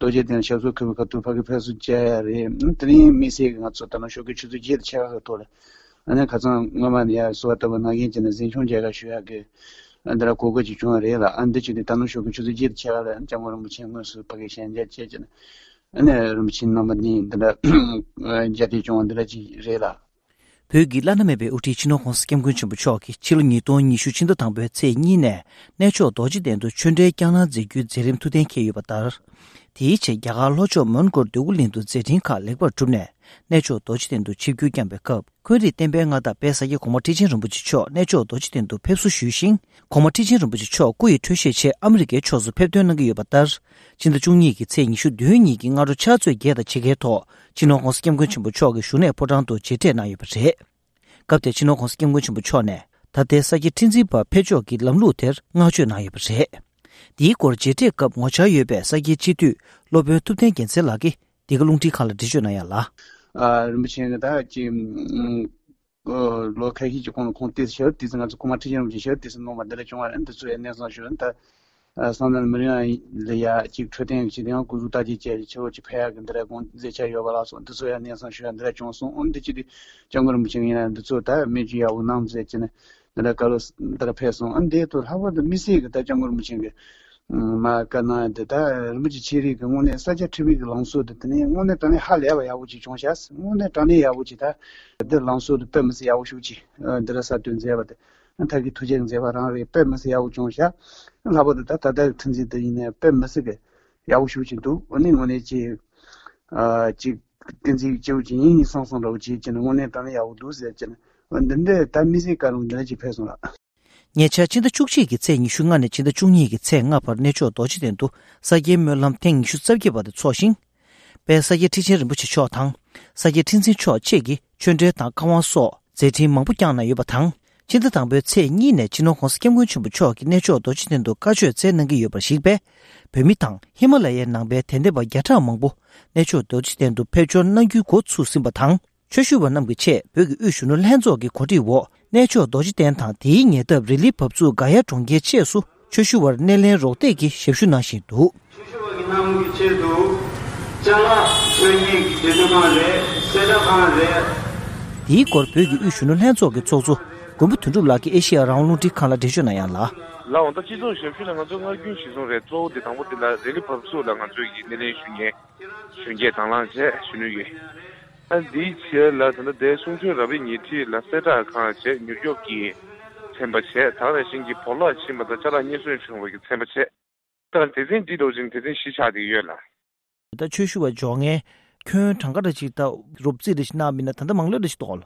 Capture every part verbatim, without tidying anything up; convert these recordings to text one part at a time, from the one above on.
도제 되는 셔서 그 것도 파기 패스 제리 드림 미세가 쳤다는 쇼기 추도 제일 차가 돌아 아니 가장 뭐만이야 소왔다고 나게 지는 신청제가 쉬하게 안드라 고거 집중하래라 안 되지도 다는 쇼기 추도 제일 차가 장으로 묻힌 것을 파기 현재 제전 아니 묻힌 넘니 들 자티 중들지 레라 Pyoge lanamebe uti chino khonsa kemgunchen buchoki chilo nyi ton nyi shu chindo tangbo tse nyi ne necho doji dendo chunde kyangna zegyu zerim tuden ke yubatar. Ti che gyaga locho mongor dugul lindu zetin ka lekbar chumne necho doji dendo chibgyu kyangbe kub. Kweri tenbe nga da pesa ye koma tijin rumbuchi cho necho doji dendo pepsu shushin koma tijin rumbuchi cho kuyi tuishe che Amerike chozu pepdun nga yubatar. Chinda chungyi ki tse nyi shu duyo nyi ki nga ru cha zui geda chige to chino khonsa kemgunchen buchoki shune podangdo jete na yubare. 갑대 진호 공스김 군침 부초네 다대사기 tinzipa pechoki lamlu ter ngachu na yebse di kor jete kap ngocha yebe sagi chitu lobe tupten gense lagi diglungti khala dijo na yala 아 rumchin da ji 어 로카히 지금 콘테스 셔 디즈나 코마티즘 셔 디즈 노마들 중앙 엔드 주에 내서 주는다 상단 머리야 레야 지 초된 지대한 구주다지 제 저지 패야 근데 공 제차 요발아서 드소야 내서 주는데 중송 온데지 정글 무증이나 드소다 메지야 우남제지네 내가 가로스 내가 패서 안데도 하버드 미시가 정글 무증게 마 가나데다 무지 치리 공원에 사제 티비 랑소도 드네 오늘 전에 할래야 야우지 중샤스 오늘 전에 야우지다 더 랑소도 뱀스 야우슈지 드라사 든제바데 안타기 투쟁 제바랑에 뱀스 야우 중샤 라보다 다다 튼지드이네 뱀스게 야우슈지도 오늘 오늘지 아지 든지 조진이 상상로지 지는 오늘 전에 야우도스 지는 근데 담미시 가는 데지 패소라 Nyecha chinda chukchi ki tse nishu nga ne chinda chungyi ki tse nga par necho dochi dendu sagye myo lam ten nishu tsabge bada tsoshin. Pe sagye tichin rinpoche cho tang, sagye tinsin cho che ki chunde tang kawan so, zeti mangpu kyang na yoba tang. Chinda tangbe tse nyi ne chino khonsa kemgun chumbu cho ki necho dochi dendu kachwe tse nangi yoba shikbe. Pe mi tang, Himalaya nangbe tende ba gyata mangbu, necho dochi dendu pecho nangyu go tsu simba tang. Choshuwa namgi che, pyoge ushunu lenzo ki kodi wo, necho doji ten tang di nye dab rili pabzu gaya chongge che su, choshuwa nelen rokte ki shepshu na shi du. Choshuwa ki namgi che du, chala chonyi ki dedukan re, sedakan re. Di kor pyoge ushunu lenzo ki tsokzu, gombu tunru la ki Asia raunlu di kala desho na yan la. La onda chi zo shepshu la nga zo nga gyun shi zo re, zo de tangbo de la rili pabzu la nga zo ki nelen shunye, shunye tanglan che, shunu ye. di che la tanda de sung chu rabi ni ti la seta kha che New York ki chemba che ta de sing ki pola chi ma da cha la ni sun chung ki chemba che ta de zin di do jin de zin shi cha de yue la da chu shu wa jong e kyun thang ga de chi da rup zi de na min na tanda mang le de chi dol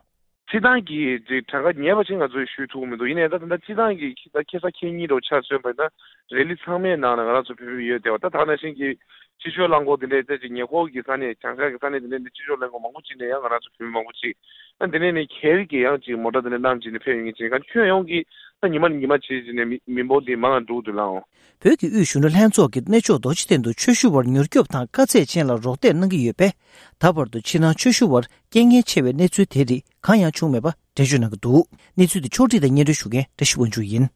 chi dang ki ji ta ga nie ba ching ga zo shu tu mi do ine da tanda chi dang ki da ke sa ke ni do cha che ba da reli chang me na na ga zo pi pi ye de da ta na sing ki 지쇼 랑고들의 대지 예고기 산에 장사기 산에 되는 지쇼 랑고 망고치네 양아라 좀 망고치 근데네 계획이 양지 모다들 남지네 표현이 지가 최용기 니만 니만 지지네 민보디 망한 두들랑 벽이 우슈는 한쪽이 내조 도치된도 최슈버 뉴욕탄 같이 지나라 로테는 게 옆에 다버도 지나 최슈버 갱의 체외 내주 대리 강야 중매바 대주는 것도 내주디 초리의 예를 주게 대시원 주인